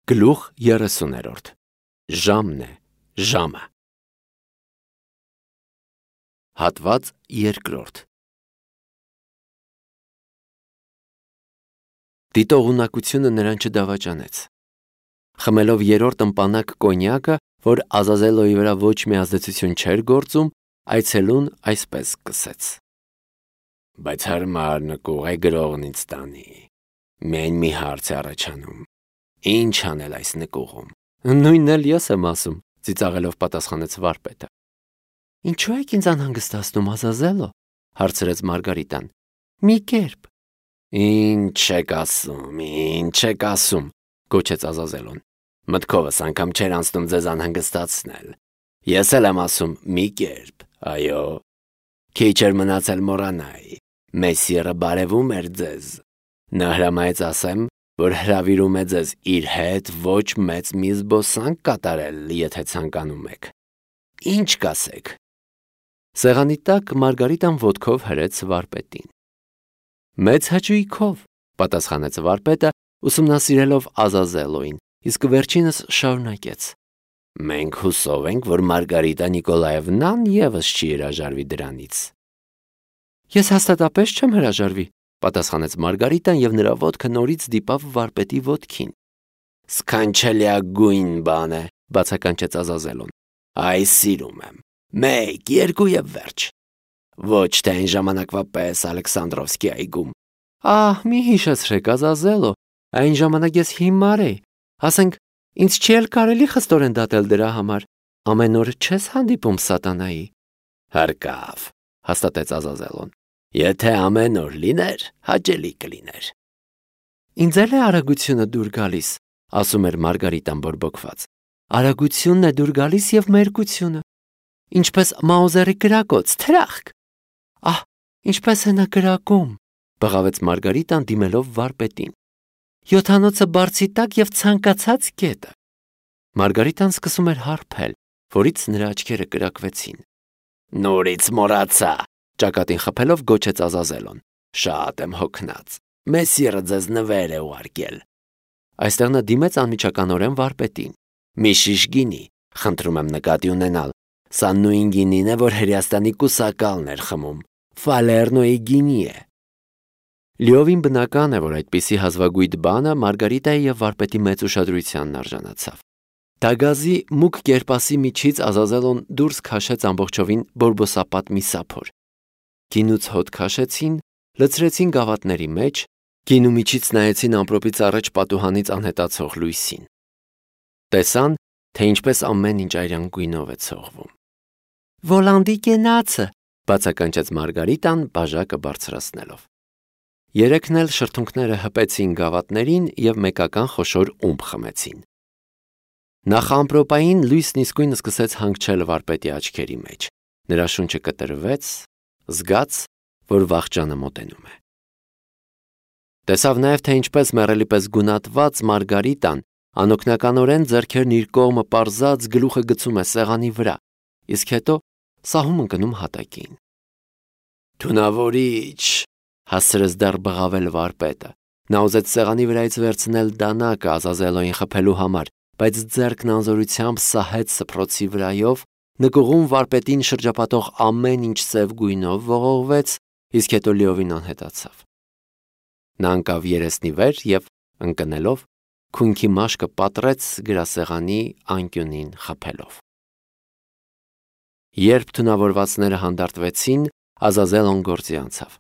Գլուխ 30 Ժամն է, ժամը։ Հատված 2 Դիտողունակությունը նրան չդավաճանեց։ Խմելով երրորդ ըմպանակ կոնյակը, որ Ազազելոյի վրա ոչ մի ազդեցություն չէր գործում, այցելուն այսպես սկսեց. Բայց հարմար նկուղ է գրողն ինձ տանի։ Միայն մի հարց է առաջանում. Ինչ անել այս նկուղում։ Նույնն էլ ես եմ ասում, ծիծաղելով պատասխանեց վարպետը։ Ինչու եք ինձ անհանգստացնում, Ազազելո, հարցրեց Մարգարիտան։ Մի կերպ։ Ինչ եք ասում, գոչեց Ազազելոն։ Մտքովս անգամ չէր անցնում ձեզ անհանգստացնել։ Ես էլ եմ ասում մի կերպ, այո։ Քիչ էր մնացել մոռանայի։ Մեսիերը բարևում էր ձեզ։ Նա հրամայեց ասեմ, որ հրավիրում է ձեզ իր հետ ոչ մեծ մի զբոսանք կատարել, եթե ցանկանում եք։ Ինչ կասեք։ Սեղանի տակ Մարգարիտան ոտքով հրեց վարպետին։ Մեծ հաճույքով, պատասխանեց վարպետը, ուսումնասիրելով Ազազելոյին, իսկ վերջինս շարունակեց. Մենք հուսով ենք, որ Մարգարիտա Նիկոլաևնան ևս չի հրաժարվի դրանից։ Ես հաստատապես չեմ հրաժարվի, պատասխանեց Մարգարիտան եւ նրա ոտքը նորից դիպավ վարպետի ոտքին։ Սքանչելիագույն բան է, բացականչեց Ազազելոն։ Այ սիրում եմ։ 1, 2 եւ վերջ։ Ոչ թե այն ժամանակվա պես Ալեքսանդրովսկի այգում։ Ահ, մի հիշեցրեք, Ազազելո, այն ժամանակ ես հիմար էի։ Ասենք, ինձ չի էլ կարելի խստորեն դատել դրա համար։ Ամեն օր չես հանդիպում սատանայի։ Հարկավ, հաստատեց Ազազելոն։ Եթե ամեն օր լիներ, հաճելի կլիներ։ Ինձ էլ է արագությունը դուր գալիս, ասում էր Մարգարիտան բորբոքված։ Արագությունն է դուր գալիս եւ մերկությունը։ Ինչպես Մաուզերի կրակոց, թրախկ։ Ահ, ինչպես է նա կրակում, բղավեց Մարգարիտան դիմելով վարպետին։ Յոթանոցը բարձի տակ եւ ցանկացած կետը։ Մարգարիտան սկսում էր հարբել, որից նրա աչքերը կրակվեցին։ Նորից մոռացա, ճակատին խփելով գոչեց Ազազելոն։ Շատ եմ հոգնած։ Մեսիերը ձեզ նվեր է ուղարկել։ Այստեղ նա դիմեց անմիջականորեն վարպետին։ Մի շիշ գինի, խնդրում եմ նկատի ունենալ։ Սա նույն գինին է, որ Հրեաստանի կուսակալն էր խմում։ Ֆալերնոյի գինի է։ Լիովին բնական է, որ այդպիսի հազվագույթ բանը Մարգարիտայի եւ վարպետի մեծ ուշադրությանն արժանացավ։ Դագազի մուգ կերպասի միջից Ազազելոն դուրս քաշեց ամբողջովին բորբոսապատ մի սափոր։ Գինուց հոտ քաշեցին, լցրեցին գավաթների մեջ, գինու միջից նայեցին ամպրոպից առաջ պատուհանից անհետացող լույսին։ Տեսան, թե ինչպես ամեն ինչ այրան գույնով է ցողվում։ Վոլանդի կենացը, բացականչեց Մարգարիտան բաժակը բարձրացնելով։ Երեքն էլ շրթունքները հպեցին գավաթներին եւ մեկական խոշոր ումպ խմեցին։ Նախամպրոպային լույսն իսկույն սկսեց հանգչել վարպետի աչքերի մեջ։ Նրա շունչը կտրվեց, զգաց, որ վախճանը մոտենում է։ Տեսավ նաև, թե ինչպես մեռելի պես գունատված Մարգարիտան անօգնականորեն ձեռքերն իր կողմը պարզած գլուխը գցում է սեղանի վրա, իսկ հետո սահում ընկնում հատակին։ Թունավորիչ, հասցրեց դեռ բղավել վարպետը։ Նա ուզեց սեղանի վրայից վերցնել դանակը Ազազելոյին խփելու համար, բայց ձեռքն անզորությամբ սահեց սփռոցի վրայով, նկուղում վարպետին շրջապատող ամեն ինչ սև գույնով ողողվեց, իսկ հետո լիովին անհետացավ։ Նա ընկավ երեսնի վեր եւ ընկնելով քունքի մաշկը պատռեց գրասեղանի անկյունին խփելով։ Երբ թունավորվածները հանդարտվեցին, Ազազելոն գործի անցավ։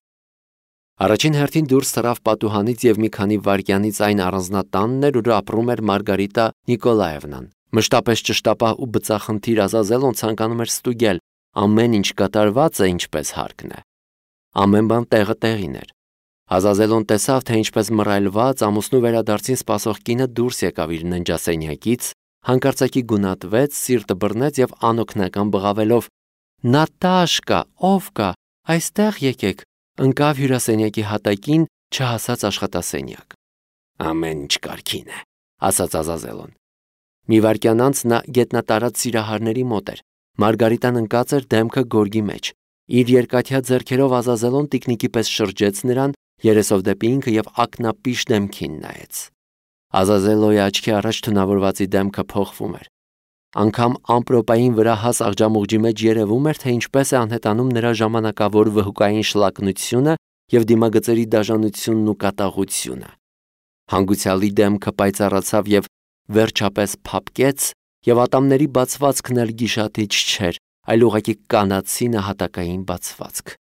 Առաջին հերթին դուրս թռավ պատուհանից եւ մի քանի վայրկյանից այն առանձնատանն էր, ուր ապրում էր Մարգարիտա Նիկոլաևնան։ Մշտապես ճշտապահ ու բծախնդիր Ազազելոն ցանկանում էր ստուգել ամեն ինչ կատարված է ինչպես հարկն է։ Ամեն բան տեղը տեղին էր։ Ազազելոն տեսավ, թե ինչպես մռայլված ամուսնու վերադարձին սպասող կինը դուրս եկավ իր ննջասենյակից, հանկարծակի գունատվեց, սիրտը բռնեց եւ անօգնական բղավելով. Նատաշկա, ով կա, այստեղ եկեք, ընկավ հյուրասենյակի հատակին, չհասած աշխատասենյակ։ Ամեն ինչ կարգին է, ասաց Ազազելոն։ Մի վայրկյան անց նա գետնատարած սիրահարների մոտ էր։ Մարգարիտան ընկած էր դեմքը գորգի մեջ։ Իր երկաթյա ձեռքերով Ազազելոն տիկնիկի պես շրջեց նրան, երեսով դեպի ինքը եւ ակնապիշ դեմքին նայեց։ Ազազելոյի աչքի առաջ թունավորվածի դեմքը փոխվում էր։ Անգամ ամպրոպային վրա հաս աղջամուղջի մեջ երևում էր, թե ինչպես է անհետանում նրա ժամանակավոր վհուկային շլակնությունը և դիմագծերի դաժանությունն ու կատաղությունը։ Հանգուցյալի դեմքը պայծառացավ և վերջապես փափկեց, և ատամների բացվածքն էլ գիշատիչ չէր, այլ ուղղակի կանացի նահատակային բացվածք։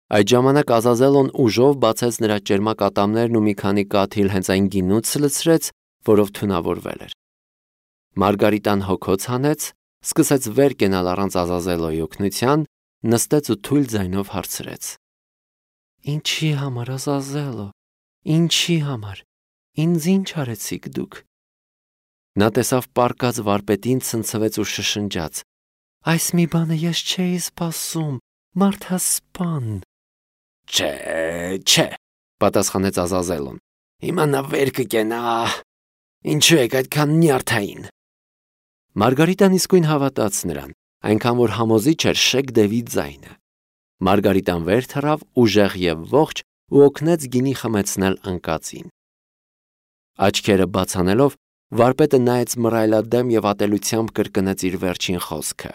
Այդ ժամանակ Ազազելոն ուժով բացեց նրա ճերմակ ատամներն ու մի քանի կաթիլ հենց այն գինուց լցրեց, որով թունավորվել էր։ Մարգարիտան հոգոց հանեց, սկսեց վեր կենալ առանց Ազազելոյի օգնության, նստեց ու թույլ ձայնով հարցրեց. «Ինչի համար, Ազազելո, ինչի համար, ինձ ինչ արեցիք դուք»։ Նա տեսավ պառկած վարպետին, ցնցվեց ու շշնջաց. «Այս մի բանը ես չէի սպասում, մարդասպան»։ Չէ, պատասխանեց Ազազելոն։ Հիմա նա վեր կկենա, ինչու եք այդքան նյարդային։ Մարգարիտան իսկույն հավատաց նրան, այնքան որ համոզիչ էր շեկ դևի ձայնը։ Մարգարիտան վեր թռավ ուժեղ և ողջ ու օգնեց գինի խմեցնել անկածին։ Աչքերը բաց անելով, վարպետը նայեց մռայլադեմ և ատելությամբ կրկնեց իր վերջին խոսքը.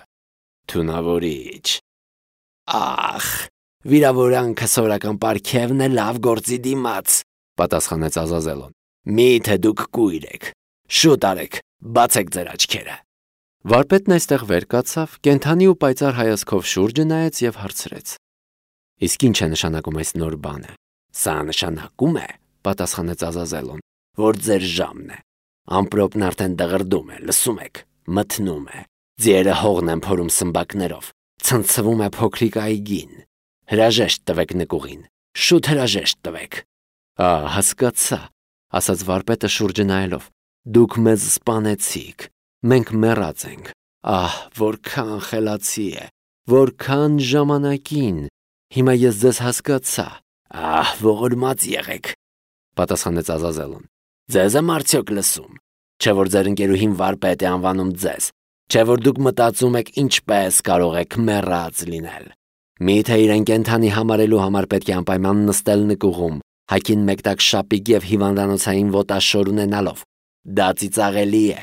Թունավորիչ։ Ախ, վիրավորանքը սովորական պարգևն է լավ գործի դիմաց, պատասխանեց Ազազելոն։ Միթե դուք կույր եք։ Շուտ արեք, բացեք ձեր աչքերը։ Վարպետն այստեղ վեր կացավ, կենդանի ու պայծառ հայացքով շուրջը նայեց և հարցրեց. Իսկ ինչ է նշանակում այս նոր բանը։ Սա նշանակում է, պատասխանեց Ազազելոն, որ ձեր ժամն է։ Ամպրոպն արդեն դղրդում է, լսում եք, մթնում է։ Ձիերը հողն են փորում սմբակներով, ցնցվում է փոքրիկ այգին։ Հրաժեշտ տվեք նկուղին, շուտ հրաժեշտ տվեք։ Հասկացա, ասաց վարպետը շուրջը նայելով։ Դուք մեզ սպանեցիք, մենք մեռած ենք։ Որքան խելացի է, որքան ժամանակին։ Հիմա ես ձեզ հասկացա։ Ողորմած եղեք, պատասխանեց Ազազելոն։ Ձեզ եմ արդյոք լսում։ Չէ որ ձեր ընկերուհին վարպետ է անվանում ձեզ։ Չէ որ դուք մտածում եք ինչպես կարող եք մեռած լինել։ Միթե իրեն կենդանի համարելու համար պետք է անպայման նստել նկուղում, հագին մեկտակ շապիկ և հիվանդանոցային ոտաշոր ունենալով։ Դա ծիծաղելի է։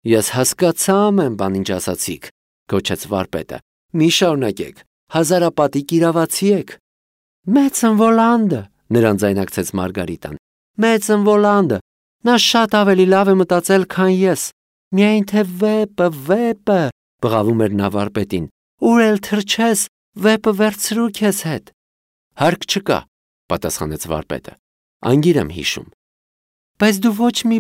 Ես հասկացա ամեն բան, ինչ ասացիք, գոչեց վարպետը։ Մի շարունակեք, հազարապատիկ իրավացի եք։ Մեծն Վոլանդը, նրան ձայնարկեց Մարգարիտան։ Մեծն Վոլանդը, նա շատ ավելի լավ է մտածել, քան ես։ Միայն թե վեպը, բղավում էր նա վարպետին։ Ուր էլ թռչես, վեպը վերցրու քեզ հետ։ Հարկ չկա, պատասխանեց վարպետը։ Անգիր եմ հիշում։ Բայց դու ոչ մի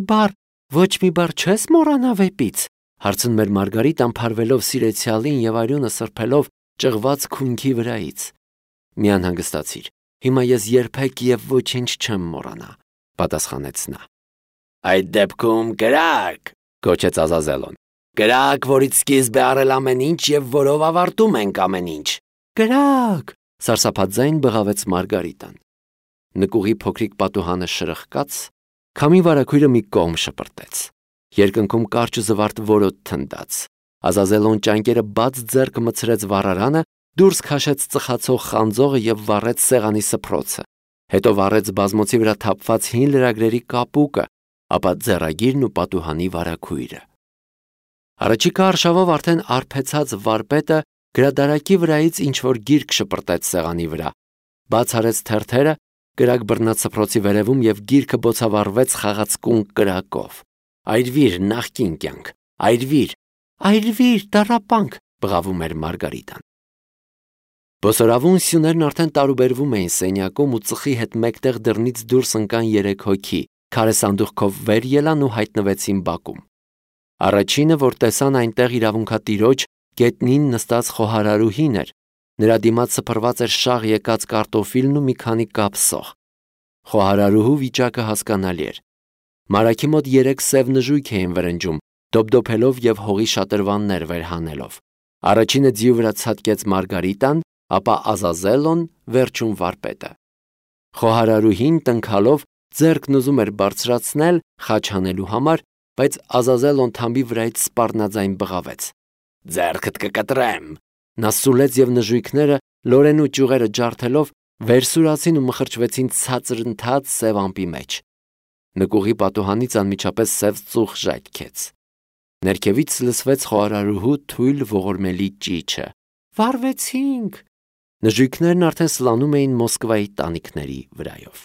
բառ չես մոռանա վեպից, հարցնում էր Մարգարիտան փարվելով սիրեցյալին և արյունը սրբելով ճղված քունքի վրայից։ Մի անհանգստացիր, հիմա ես երբեք և ոչինչ չեմ մոռանա, պատասխանեց նա։ Այդ դեպքում կրակ, գոչեց Ազազելոն։ Կրակ, որից սկիզբ է առել ամեն ինչ և որով ավարտում ենք ամեն ինչ։ Կրակ, սարսափաձայն բղավեց Մարգարիտան։ Նկուղի փոքրիկ պատուհանը շրխկաց, քամի վարագույրը մի կողմ շպրտեց։ Երկնքում կարճ ու զվարթ որոտ թնդաց։ Ազազելոն ճանկերը բաց ձեռք մտցրեց վառարանը, դուրս քաշեց ծխացող խանձողը և վառեց սեղանի սփռոցը։ Հետո վառեց բազմոցի վրա թափված հին լրագրերի կապուկը, ապա ձեռագիրն ու պատուհանի վարագույրը։ Առաջիկա արշավով արդեն արբեցած վարպետը գրադարակի վրայից ինչ-որ գիրք շպրտեց սեղանի վրա, բաց արեց թերթերը, կրակ բռնած սփռոցի վերևում և գիրքը բոցավառվեց խաղացկուն կրակով։ Այրվիր, նախկին կյանք, այրվիր, տառապանք, բղավում էր Մարգարիտան։ Բոսորավուն սյուներն արդեն տարուբերվում էին սենյակում ու ծխի հետ մեկտեղ դռնից դուրս ընկան 3 հոգի, քարե սանդուղքով վեր ելան ու հայտնվեցին բակում։ Առաջինը, որ տեսան այնտեղ իրավունքատիրոջ գետնին նստած խոհարարուհին էր, նրա դիմաց սփռված էր շաղ եկած կարտոֆիլն ու մի քանի կապ սոխ։ Խոհարարուհու վիճակը հասկանալի էր։ Մարագի մոտ 3 սև նժույգ էին վրնջում, դոպդոփելով և հողի շատրվաններ վեր հանելով։ Առաջինը ձիու վրա ցատկեց Մարգարիտան, ապա Ազազելոն, վերջում վարպետը։ Խոհարարուհին տնքալով ձեռքն ուզում էր բարձրացնել խաչ հանելու համար, բայց Ազազելոն թամբի վրայից սպառնաձայն բղավեց. Ձեռքդ կկտրեմ։ Նա սուլեց և նժույգները լորեն ու ճյուղերը ջարդելով վերսուրացին ու մխրճվեցին ցածր ընթաց սև ամպի մեջ։ Նկուղի պատուհանից անմիջապես սև ծուխ ժայթքեց։ Ներքևից լսվեց խոհարարուհու թույլ ողորմելի ճիչը. «Վարվեցինք»։ Նժույգներն արդեն սլանում էին Մոսկվայի տանիքների վրայով։